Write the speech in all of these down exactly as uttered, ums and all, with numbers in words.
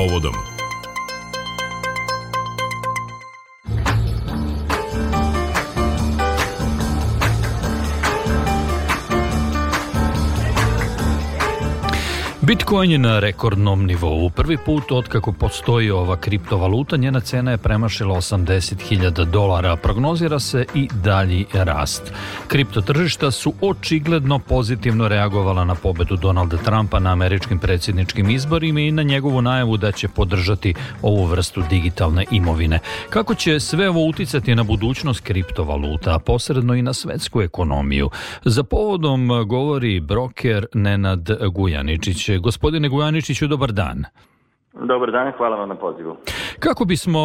povodom. Bitcoin je na rekordnom nivou. Prvi put otkako postoji ova kriptovaluta, njena cena je premašila osamdeset hiljada dolara. Prognozira se i dalji rast. Kriptotržišta su očigledno pozitivno reagovala na pobedu Donalda Trumpa na američkim predsjedničkim izborima i na njegovu najavu da će podržati ovu vrstu digitalne imovine. Kako će sve ovo uticati na budućnost kriptovaluta, a posredno i na svetsku ekonomiju? Za povodom govori broker Nenad Gujaničić. Gospodine Gujaničiću, dobar dan. Dobar dan, hvala vam na pozivu. Kako bismo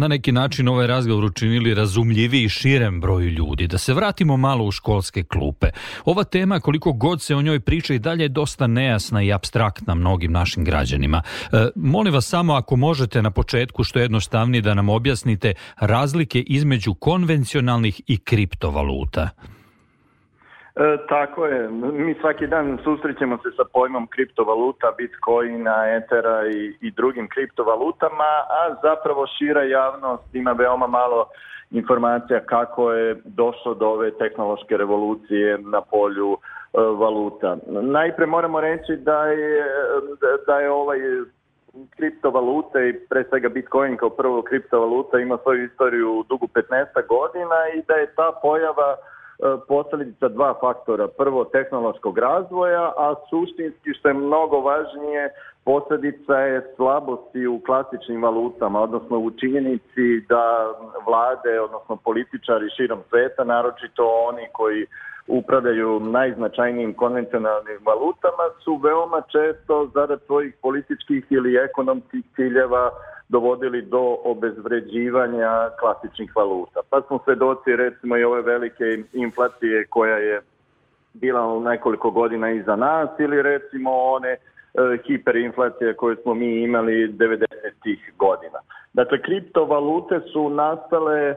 na neki način ovaj razgovor učinili razumljiviji širem broju ljudi? Da se vratimo malo u školske klupe. Ova tema, koliko god se o njoj priča, i dalje je dosta nejasna i apstraktna mnogim našim građanima. E, molim vas samo, ako možete na početku što jednostavnije da nam objasnite razlike između konvencionalnih i kriptovaluta. E, tako je. Mi svaki dan susrećemo se sa pojmom kriptovaluta, bitcoina, etera i, i drugim kriptovalutama, a zapravo šira javnost ima veoma malo informacija kako je došlo do ove tehnološke revolucije na polju e, valuta. Najprije moramo reći da je, da je ovaj kriptovalute i pre svega Bitcoin kao prvo kriptovaluta ima svoju istoriju dugu petnaest godina i da je ta pojava posljedica dva faktora. Prvo, tehnološkog razvoja, a suštinski, što je mnogo važnije, posljedica je slabosti u klasičnim valutama, odnosno u činjenici da vlade, odnosno političari širom sveta, naročito oni koji upravljaju najznačajnijim konvencionalnim valutama, su veoma često zarad svojih političkih ili ekonomskih ciljeva dovodili do obezvređivanja klasičnih valuta. Pa smo svedoci recimo i ove velike inflacije koja je bila u nekoliko godina iza nas, ili recimo one e, hiperinflacije koje smo mi imali devedesetih godina. Dakle, kriptovalute su nastale e,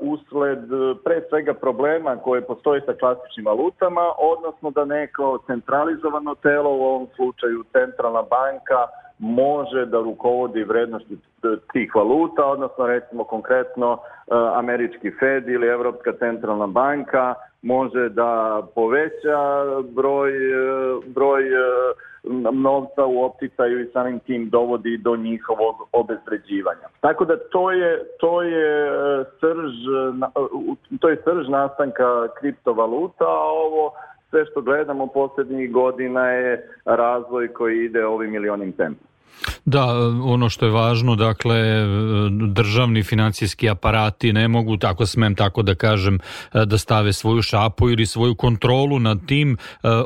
usled pre svega problema koje postoje sa klasičnim valutama, odnosno da neko centralizovano telo, u ovom slučaju centralna banka, može da rukovodi vrednosti tih valuta, odnosno recimo konkretno američki Fed ili Evropska centralna banka može da poveća broj, broj novca u opticaju i samim tim dovodi do njihovog obezvređivanja. Tako da to je, to je srž, to je srž nastanka kriptovaluta, a ovo sve što gledamo posljednjih godina je razvoj koji ide ovim milionim tempom. Da, ono što je važno, dakle, državni financijski aparati ne mogu, tako smem tako da kažem, da stave svoju šapu ili svoju kontrolu nad tim.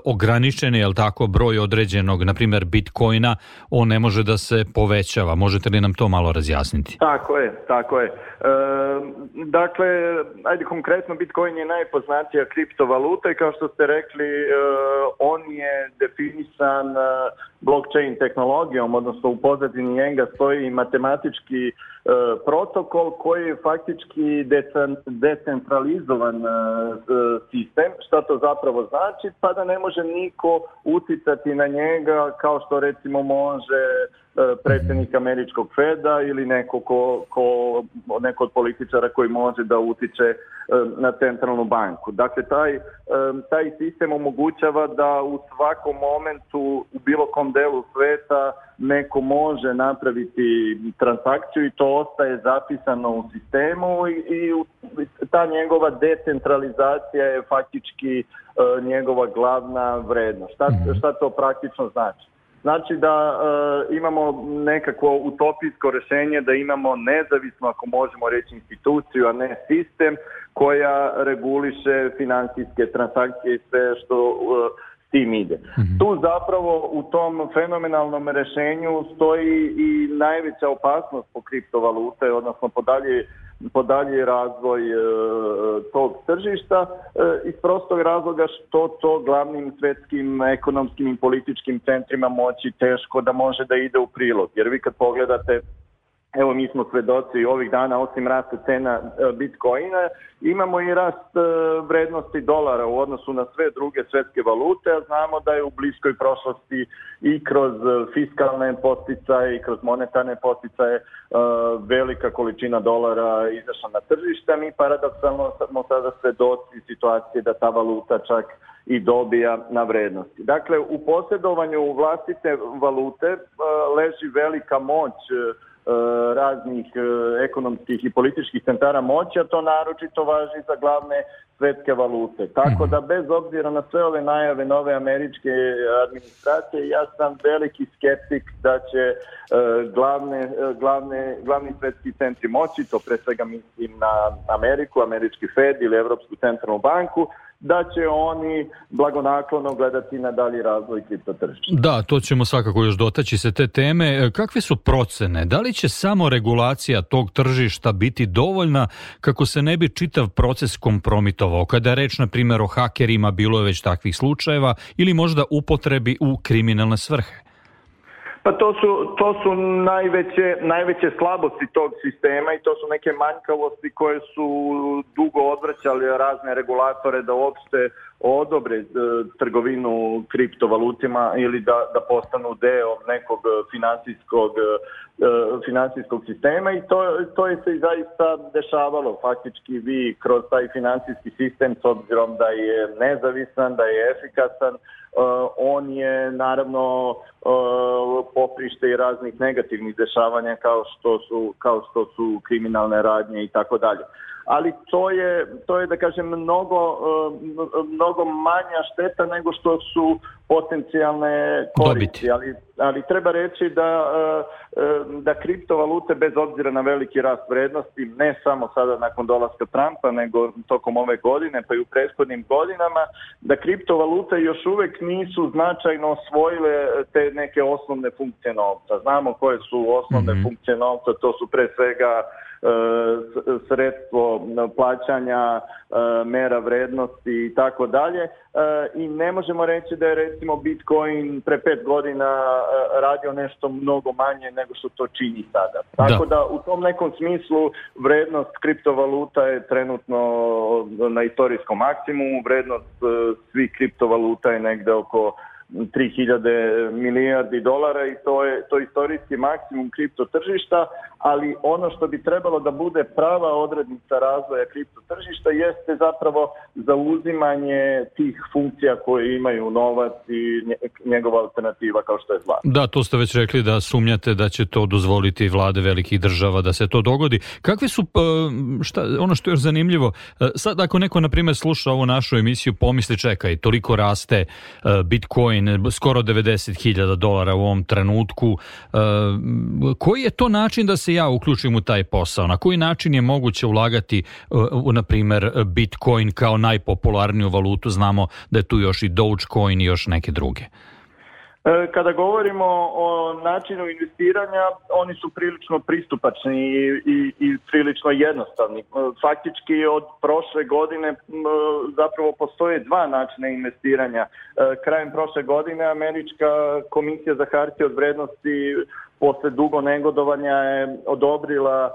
Ograničen je, jel tako, broj određenog, na primjer, bitcoina, on ne može da se povećava. Možete li nam to malo razjasniti? Tako je, tako je. E, dakle, ajde konkretno, bitcoin je najpoznatija kriptovaluta i kao što ste rekli, e, on je definisan blockchain tehnologijom, odnosno u pozadini njega stoji matematički e, protokol koji je faktički decentralizovan e, sistem. Šta to zapravo znači? Pa da ne može niko uticati na njega kao što recimo može e, predsjednik američkog Feda ili neko, ko, ko, neko od političara koji može da utiče e, na centralnu banku. Dakle, taj, e, taj sistem omogućava da u svakom momentu u bilo kom delu sveta neko može napraviti transakciju i to ostaje zapisano u sistemu i, i ta njegova decentralizacija je faktički uh, njegova glavna vrednost. Šta, šta to praktično znači? Znači da uh, imamo nekakvo utopijsko rješenje, da imamo nezavisno, ako možemo reći, instituciju, a ne sistem, koja reguliše financijske transakcije i sve što uh, s tim ide. Mm-hmm. Tu zapravo u tom fenomenalnom rješenju stoji i najveća opasnost po kriptovalute, odnosno po dalje po dalji razvoj e, tog tržišta e, iz prostog razloga što to glavnim svjetskim ekonomskim i političkim centrima moći teško da može da ide u prilog. Jer vi kad pogledate evo mi smo svedoci ovih dana, osim rasta cena Bitcoina, imamo i rast vrednosti dolara u odnosu na sve druge svjetske valute, a znamo da je u bliskoj prošlosti i kroz fiskalne poticaje i kroz monetarne poticaje velika količina dolara izašla na tržište. Mi paradoksalno smo sada svedoci situacije da ta valuta čak i dobija na vrednosti. Dakle, u posjedovanju vlastite valute leži velika moć raznih ekonomskih i političkih centara moći, a to naročito važi za glavne svjetske valute. Tako da bez obzira na sve ove najave nove američke administracije, ja sam veliki skeptik da će glavne, glavne, glavni svjetski centri moći, to pre svega mislim na Ameriku, američki Fed ili Europsku centralnu banku, da će oni blagonaklono gledati na dalji razvoj kriptotržišta. Da, to ćemo svakako još dotaći se te teme. Kakve su procene? Da li će samo regulacija tog tržišta biti dovoljna kako se ne bi čitav proces kompromitovao? Kada je reč, na primjer, o hakerima, bilo je već takvih slučajeva, ili možda upotrebi u kriminalne svrhe? Pa to su, to su najveće, najveće slabosti tog sistema i to su neke manjkavosti koje su dugo odvraćali razne regulatore da uopšte odobre e, trgovinu kriptovalutima ili da, da postanu deo nekog finansijskog, e, finansijskog sistema i to, to je se i zaista dešavalo. Faktički vi kroz taj finansijski sistem, s obzirom da je nezavisan, da je efikasan, Uh, on je naravno uh, poprište i raznih negativnih dešavanja kao što su, kao što su kriminalne radnje i tako dalje. Ali to je, to je da kažem, mnogo, uh, mnogo manja šteta nego što su potencijalne koristi. Ali, ali treba reći da, uh, da kriptovalute, bez obzira na veliki rast vrednosti, ne samo sada nakon dolaska Trumpa, nego tokom ove godine, pa i u prethodnim godinama, da kriptovalute još uvijek nisu značajno osvojile te neke osnovne funkcije novca. Znamo koje su osnovne mm-hmm. funkcije novca, to su pre svega sredstvo plaćanja, mera vrednosti i tako dalje. I ne možemo reći da je recimo Bitcoin pre pet godina radio nešto mnogo manje nego što to čini sada. Tako da, da u tom nekom smislu vrednost kriptovaluta je trenutno na istorijskom maksimumu. Vrednost svih kriptovaluta je negde oko tri hiljade milijardi dolara i to je to istorijski maksimum kripto tržišta, ali ono što bi trebalo da bude prava odrednica razvoja kripto tržišta jeste zapravo zauzimanje tih funkcija koje imaju novac i njegova alternativa kao što je zlato. Da, to ste već rekli da sumnjate da će to dozvoliti vlade velikih država da se to dogodi. Kakvi su, šta, ono što je još zanimljivo, sad ako neko na primjer sluša ovu našu emisiju, pomisli čekaj, toliko raste Bitcoin, skoro devedeset hiljada dolara u ovom trenutku. E, koji je to način da se ja uključim u taj posao? Na koji način je moguće ulagati u, na primjer, Bitcoin kao najpopularniju valutu? Znamo da je tu još i Dogecoin i još neke druge. Kada govorimo o načinu investiranja, oni su prilično pristupačni i, i, i prilično jednostavni. Faktički od prošle godine zapravo postoje dva načina investiranja. Krajem prošle godine Američka komisija za hartije od vrednosti posle dugo negodovanja je odobrila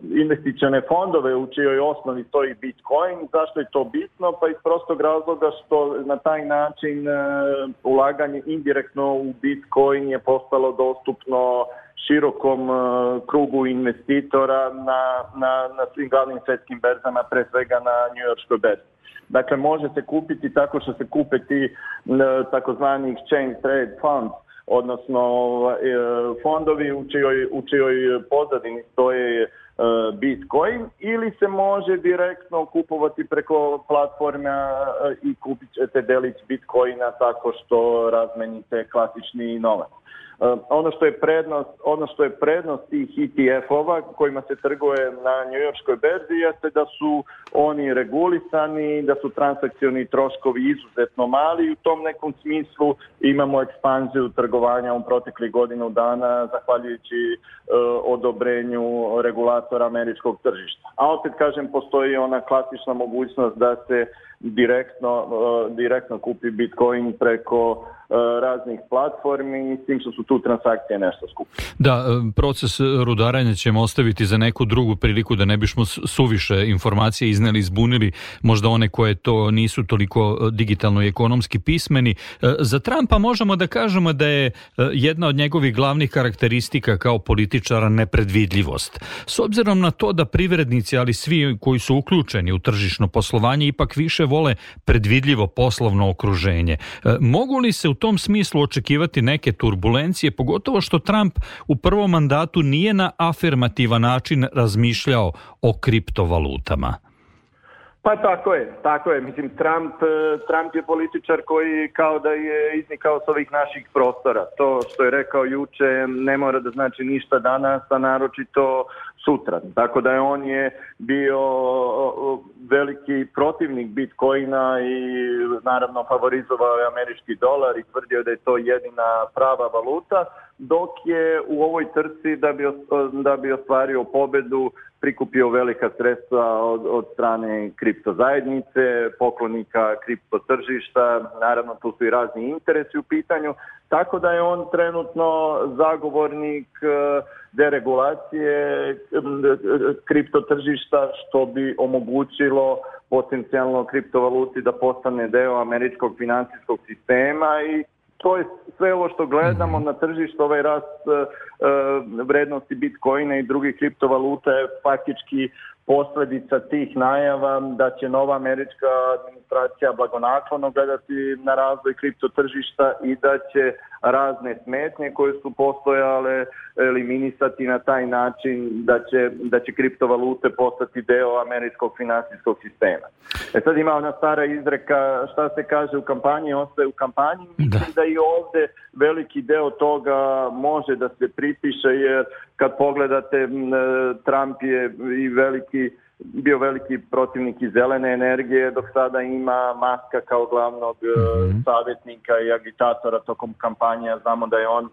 investicione fondove u čijoj osnovi stoji Bitcoin. Zašto je to bitno? Pa iz prostog razloga što na taj način ulaganje indirektno u Bitcoin je postalo dostupno širokom krugu investitora na, na, na svim glavnim svjetskim berzama, pre svega na njujorškoj berzi. Dakle, može se kupiti tako što se kupe ti takozvani exchange trade funds, odnosno fondovi u čijoj, u čijoj pozadini stoje Bitcoin, ili se može direktno kupovati preko platforma i kupit ćete delić Bitcoina tako što razmenite klasični novac. Ono što je prednost, ono što je prednost tih E T F-ova kojima se trguje na njujorškoj berzi jeste da su oni regulisani, da su transakcioni troškovi izuzetno mali i u tom nekom smislu imamo ekspanziju trgovanja u proteklih godinu dana zahvaljujući e, odobrenju regulatora američkog tržišta. A opet kažem, postoji ona klasična mogućnost da se direktno, direktno kupi Bitcoin preko raznih platformi i s tim što su tu transakcije nešto skupe. Da, proces rudarenja ćemo ostaviti za neku drugu priliku da ne bismo suviše informacije izneli, zbunili možda one koje to nisu toliko digitalno i ekonomski pismeni. Za Trumpa možemo da kažemo da je jedna od njegovih glavnih karakteristika kao političara nepredvidljivost. S obzirom na to da privrednici, ali svi koji su uključeni u tržišno poslovanje, ipak više vole predvidljivo poslovno okruženje. Mogu li se u tom smislu očekivati neke turbulencije, pogotovo što Trump u prvom mandatu nije na afirmativan način razmišljao o kriptovalutama? Pa tako je, tako je. Mislim, Trump, Trump je političar koji kao da je iznikao s ovih naših prostora. To što je rekao juče ne mora da znači ništa danas, a naročito sutra. Tako da je on je bio veliki protivnik Bitcoina i naravno favorizovao je američki dolar i tvrdio da je to jedina prava valuta, dok je u ovoj trci da bi, da bi ostvario pobedu prikupio velika sredstva od, od strane kripto zajednice, poklonika kripto tržišta, naravno tu su i razni interesi u pitanju, tako da je on trenutno zagovornik deregulacije kripto tržišta, što bi omogućilo potencijalno kriptovaluti da postane deo američkog financijskog sistema i to je sve ovo što gledamo na tržištu, ovaj rast uh, vrednosti Bitcoina i drugih kriptovaluta je faktički posljedica tih najava da će nova američka administracija blagonaklono gledati na razvoj kripto tržišta i da će razne smetnje koje su postojale eliminisati na taj način da će, da će kriptovalute postati deo američkog financijskog sistema. E sad ima ona stara izreka šta se kaže u kampanji, ostaje u kampanji. Mislim da i ovdje veliki deo toga može da se pripiše jer kad pogledate Trump je i veliki bio veliki protivnik i zelene energije, dok sada ima Muska kao glavnog mm-hmm. savjetnika i agitatora tokom kampanje. Znamo da je on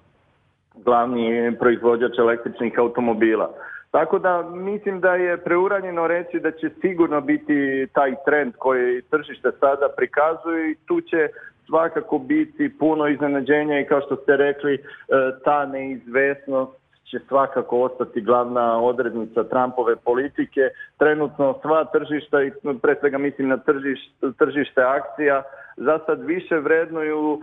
glavni proizvođač električnih automobila. Tako da mislim da je preuranjeno reći da će sigurno biti taj trend koji tržište sada prikazuje i tu će svakako biti puno iznenađenja i kao što ste rekli ta neizvesnost će svakako ostati glavna odrednica Trumpove politike. Trenutno sva tržišta, i pre svega mislim na tržište, tržište akcija, za sad više vrednuju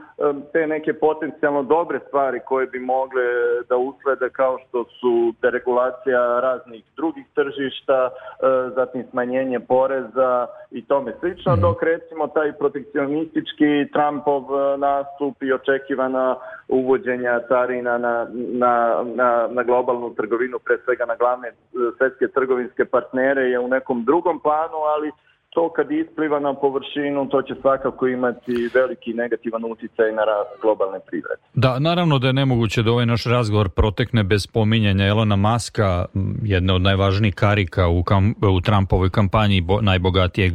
te neke potencijalno dobre stvari koje bi mogle da uslede kao što su deregulacija raznih drugih tržišta, zatim smanjenje poreza i tome slično, dok recimo taj protekcionistički Trumpov nastup i očekivana uvođenja carina na, na, na, na globalnu trgovinu, pre svega na glavne svjetske trgovinske partnere je u nekom drugom planu, ali to kad ispliva na površinu, to će svakako imati veliki negativan utjecaj na rast globalne privrede. Da, naravno da je nemoguće da ovaj naš razgovor protekne bez spominjanja Elona Muska, jedne od najvažnijih karika u, kam, u Trumpovoj kampanji, bo, najbogatijeg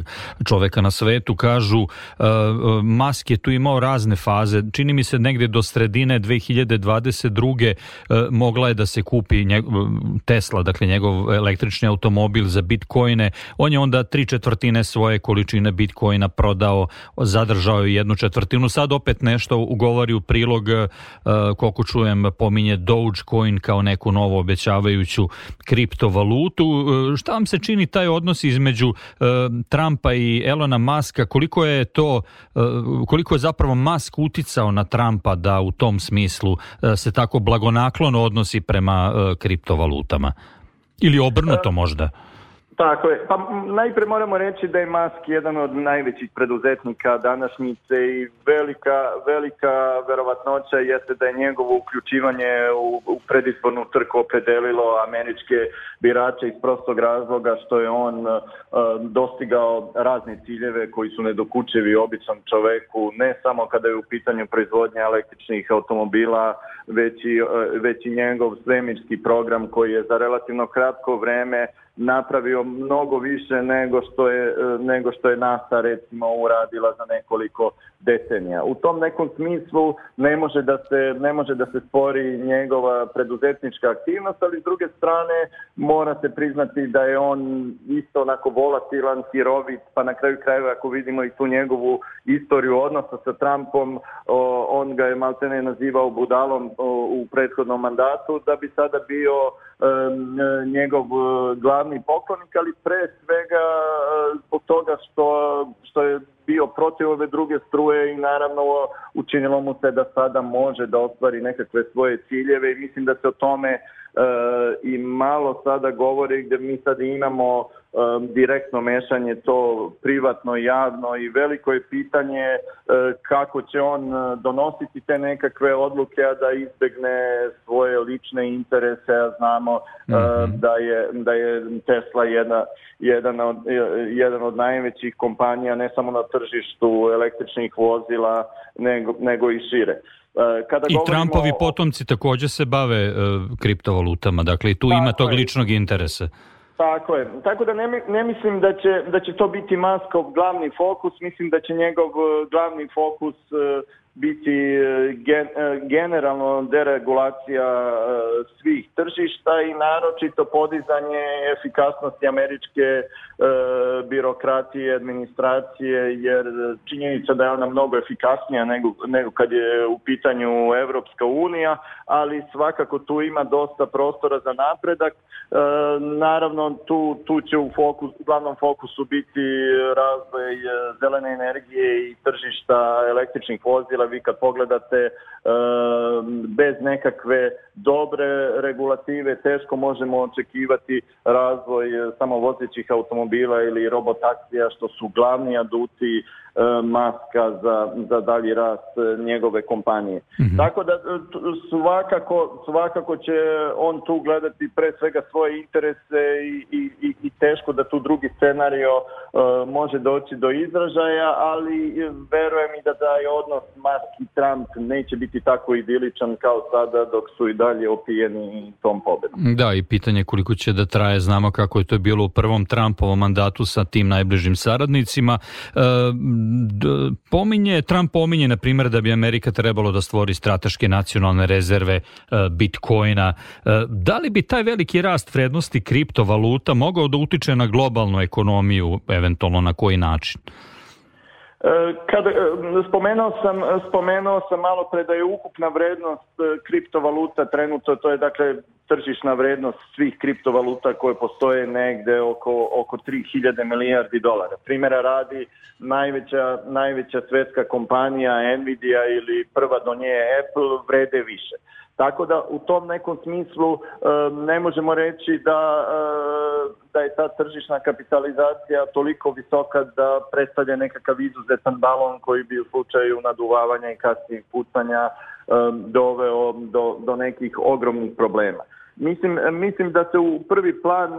čoveka na svetu. Kažu, uh, Musk je tu imao razne faze. Čini mi se negdje do sredine dve hiljade dvadeset druge. Uh, mogla je da se kupi njegov, Tesla, dakle njegov električni automobil za bitcoine. On je onda tri četvrtine svoje količine bitcoina prodao, zadržao je jednu četvrtinu, sad opet nešto ugovori u prilog, koliko čujem, pominje Dogecoin kao neku novu obećavajuću kriptovalutu. Šta vam se čini taj odnos između Trumpa i Elona Muska, koliko je to, koliko je zapravo Musk uticao na Trumpa da u tom smislu se tako blagonaklono odnosi prema kriptovalutama? Ili obrnuto možda? Tako je. Pa najprije moramo reći da je Musk jedan od najvećih preduzetnika današnjice i velika, velika verovatnoća jeste da je njegovo uključivanje u, u predizbornu trku opredelilo američke birače iz prostog razloga što je on uh, dostigao razne ciljeve koji su nedokučivi običnom čoveku, ne samo kada je u pitanju proizvodnja električnih automobila, već i, uh, već i njegov svemirski program koji je za relativno kratko vreme napravio mnogo više nego što je, nego što je NASA recimo uradila za nekoliko decenija. U tom nekom smislu ne može da se, ne može da se spori njegova preduzetnička aktivnost, ali s druge strane mora se priznati da je on isto onako volatilan, hirovit, pa na kraju krajeva ako vidimo i tu njegovu istoriju odnosa sa Trumpom, o, on ga je maltene nazivao budalom o, u prethodnom mandatu, da bi sada bio e, njegov glavni poklonik, ali pre svega e, zbog toga što, što je bio protiv ove druge struje i naravno učinilo mu se da sada može da ostvari nekakve svoje ciljeve i mislim da se o tome e, i malo sada govori gdje mi sad imamo e, direktno mešanje to privatno i javno i veliko je pitanje e, kako će on donositi te nekakve odluke, a da izbegne svoje lične interese, a znamo mm-hmm. e, da, je, da je Tesla jedna, jedan, od, jedan od najvećih kompanija ne samo na tržištu električnih vozila, nego, nego i šire. Kada I Trumpovi o... potomci također se bave uh, kriptovalutama, dakle i tu ima tog je. ličnog interesa. Tako je. Tako da ne, ne mislim da će, da će to biti Muskov glavni fokus, mislim da će njegov glavni fokus uh, biti gen, generalno deregulacija svih tržišta i naročito podizanje efikasnosti američke e, birokratije, administracije, jer činjenica da je ona mnogo efikasnija nego, nego kad je u pitanju Evropska unija, ali svakako tu ima dosta prostora za napredak. E, naravno tu, tu će u, fokus, u glavnom fokusu biti razvoj zelene energije i tržišta električnih vozila. Vi kad pogledate e, bez nekakve dobre regulative teško možemo očekivati razvoj samovozećih automobila ili robotaksija što su glavni aduti e, Muska za, za dalji rast njegove kompanije. Mm-hmm. Tako da svakako, svakako će on tu gledati pre svega svoje interese i, i, i teško da tu drugi scenario e, može doći do izražaja, ali verujem i da taj odnos Musk i Trump neće biti tako idiličan kao sada dok su i dalje opijeni tom pobedom. Da, i pitanje koliko će da traje, znamo kako je to bilo u prvom Trumpovom mandatu sa tim najbližim saradnicima. E, d, pominje, Trump pominje, na primjer, da bi Amerika trebalo da stvori strateške nacionalne rezerve e, Bitcoina. E, da li bi taj veliki rast vrednosti kriptovaluta mogao da utiče na globalnu ekonomiju, eventualno na koji način? Kada spomenuo sam, spomenuo sam malo pre da je ukupna vrednost kriptovaluta trenutno, to je dakle tržišna vrednost svih kriptovaluta koje postoje negde oko, oko tri hiljade milijardi dolara. Primjera radi, najveća, najveća svetska kompanija Nvidia ili prva do nje Apple vrede više. Tako da u tom nekom smislu ne možemo reći da, da je ta tržišna kapitalizacija toliko visoka da predstavlja nekakav izuzetan balon koji bi u slučaju naduvavanja i kasnijeg pucanja doveo do, do nekih ogromnih problema. Mislim, mislim da se u prvi plan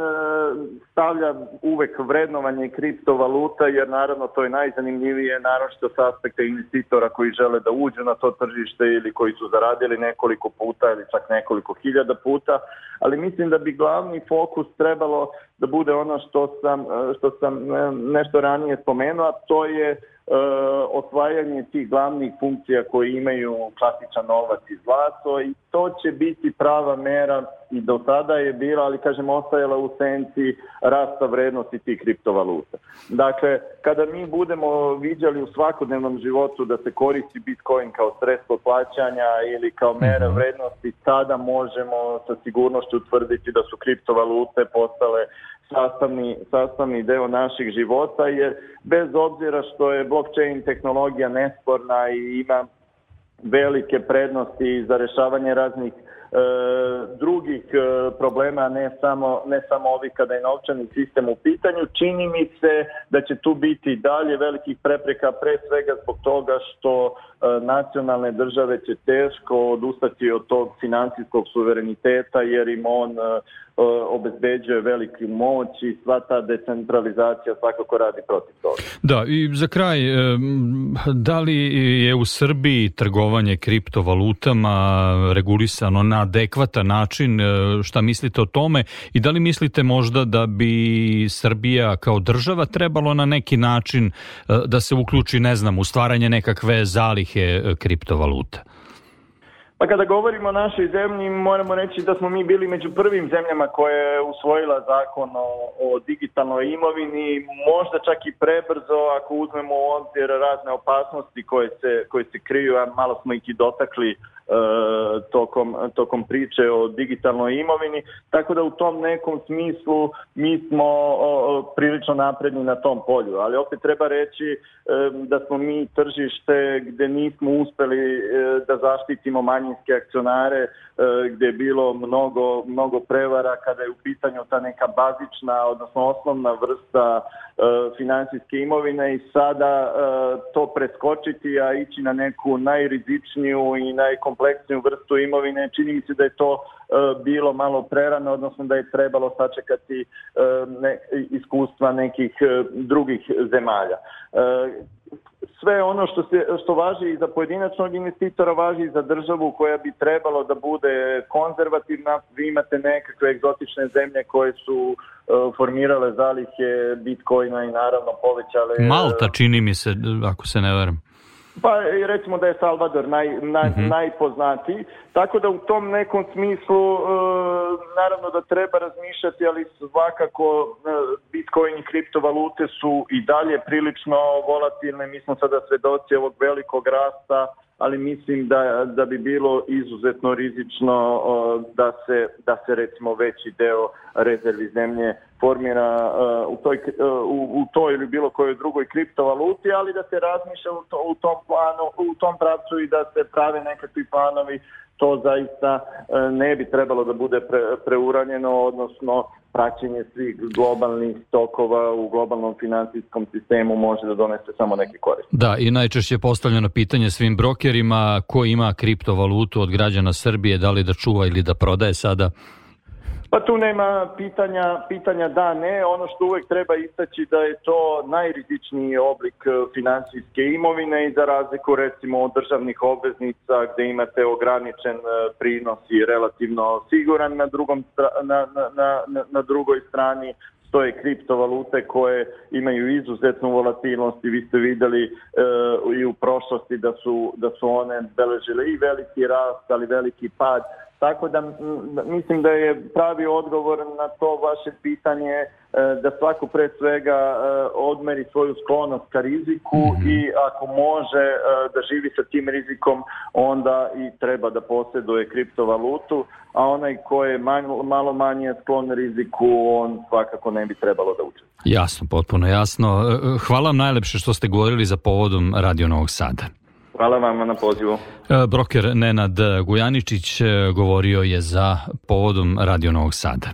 stavlja uvek vrednovanje kriptovaluta, jer naravno to je najzanimljivije, naročito s aspekta investitora koji žele da uđu na to tržište ili koji su zaradili nekoliko puta ili čak nekoliko hiljada puta, ali mislim da bi glavni fokus trebalo da bude ono što sam, što sam nešto ranije spomenuo, a to je Uh, osvajanje tih glavnih funkcija koji imaju klasičan novac i zlato i to će biti prava mera i do sada je bila, ali kažem ostajala u senci rasta vrednosti tih kriptovaluta. Dakle, kada mi budemo viđali u svakodnevnom životu da se koristi Bitcoin kao sredstvo plaćanja ili kao mera vrednosti, tada možemo sa sigurnošću utvrditi da su kriptovalute postale sastavni, sastavni deo naših života, jer bez obzira što je blockchain tehnologija nesporna i ima velike prednosti za rješavanje raznih e, drugih e, problema, ne samo, ne samo ovi kada je novčani sistem u pitanju, čini mi se da će tu biti dalje velikih prepreka, pre svega zbog toga što e, nacionalne države će teško odustati od tog financijskog suvereniteta, jer im on e, obezbeđuje veliku moć i sva ta decentralizacija svakako radi protiv toga. Da, i za kraj, da li je u Srbiji trgovanje trgovanje kriptovalutama regulisano na adekvatan način. Šta mislite o tome i da li mislite možda da bi Srbija kao država trebalo na neki način da se uključi, ne znam, u stvaranje nekakve zalihe kriptovaluta? Pa kada govorimo o našoj zemlji, moramo reći da smo mi bili među prvim zemljama koja je usvojila zakon o, o digitalnoj imovini, možda čak i prebrzo ako uzmemo u obzir razne opasnosti koje se, koje se kriju, a malo smo ih i dotakli Uh, tokom, tokom priče o digitalnoj imovini, tako da u tom nekom smislu mi smo uh, prilično napredni na tom polju, ali opet treba reći uh, da smo mi tržište gde nismo uspeli uh, da zaštitimo manjinske akcionare, uh, gde je bilo mnogo, mnogo prevara kada je u pitanju ta neka bazična, odnosno osnovna vrsta uh, finansijske imovine i sada uh, to preskočiti, a ići na neku najrizičniju i najkompleksniju kompleksniju vrstu imovine, čini mi se da je to uh, bilo malo prerano, odnosno da je trebalo sačekati uh, ne, iskustva nekih uh, drugih zemalja. Uh, sve ono što, se, što važi i za pojedinačnog investitora, važi i za državu koja bi trebalo da bude konzervativna. Vi imate nekakve egzotične zemlje koje su uh, formirale zalihe bitcoina i naravno povećale... Malta, čini mi se, ako se ne varam. Pa recimo da je Salvador naj, naj, uh-huh. najpoznatiji, tako da u tom nekom smislu e, naravno da treba razmišljati, ali svakako e, Bitcoin i kriptovalute su i dalje prilično volatilne. Mi smo sada svedoci ovog velikog rasta, ali mislim da, da bi bilo izuzetno rizično uh, da se da se recimo veći deo rezervi zemlje formira uh, u toj uh, u, u toj ili bilo kojoj drugoj kriptovaluti, ali da se razmišlja u, to, u tom planu, u tom pravcu i da se prave nekakvi planovi. To zaista uh, ne bi trebalo da bude pre, preuranjeno, odnosno praćenje svih globalnih tokova u globalnom finansijskom sistemu može da donese samo neke koristi. Da, i najčešće je postavljeno pitanje svim brokerima ko ima kriptovalutu od građana Srbije, da li da čuva ili da prodaje sada? Pa tu nema pitanja, pitanja da, ne. Ono što uvek treba istaći da je to najrizičniji oblik finansijske imovine i za razliku recimo od državnih obveznica gde imate ograničen prinos i relativno siguran, na, drugom, na, na, na, na drugoj strani stoje kriptovalute koje imaju izuzetnu volatilnost i vi ste videli e, i u prošlosti da su, da su one beležile i veliki rast, ali veliki pad. Tako da m, mislim da je pravi odgovor na to vaše pitanje e, da svako pre svega e, odmeri svoju sklonost ka riziku mm-hmm. i ako može e, da živi sa tim rizikom, onda i treba da posjeduje kriptovalutu, a onaj ko je manj, malo manje sklon riziku, on svakako ne bi trebalo da uče. Jasno, potpuno jasno. Hvala vam najlepše što ste govorili za povodom Radio Novog Sada. Hvala vam na pozivu. Broker Nenad Gujaničić govorio je za povodom Radio Novog Sada.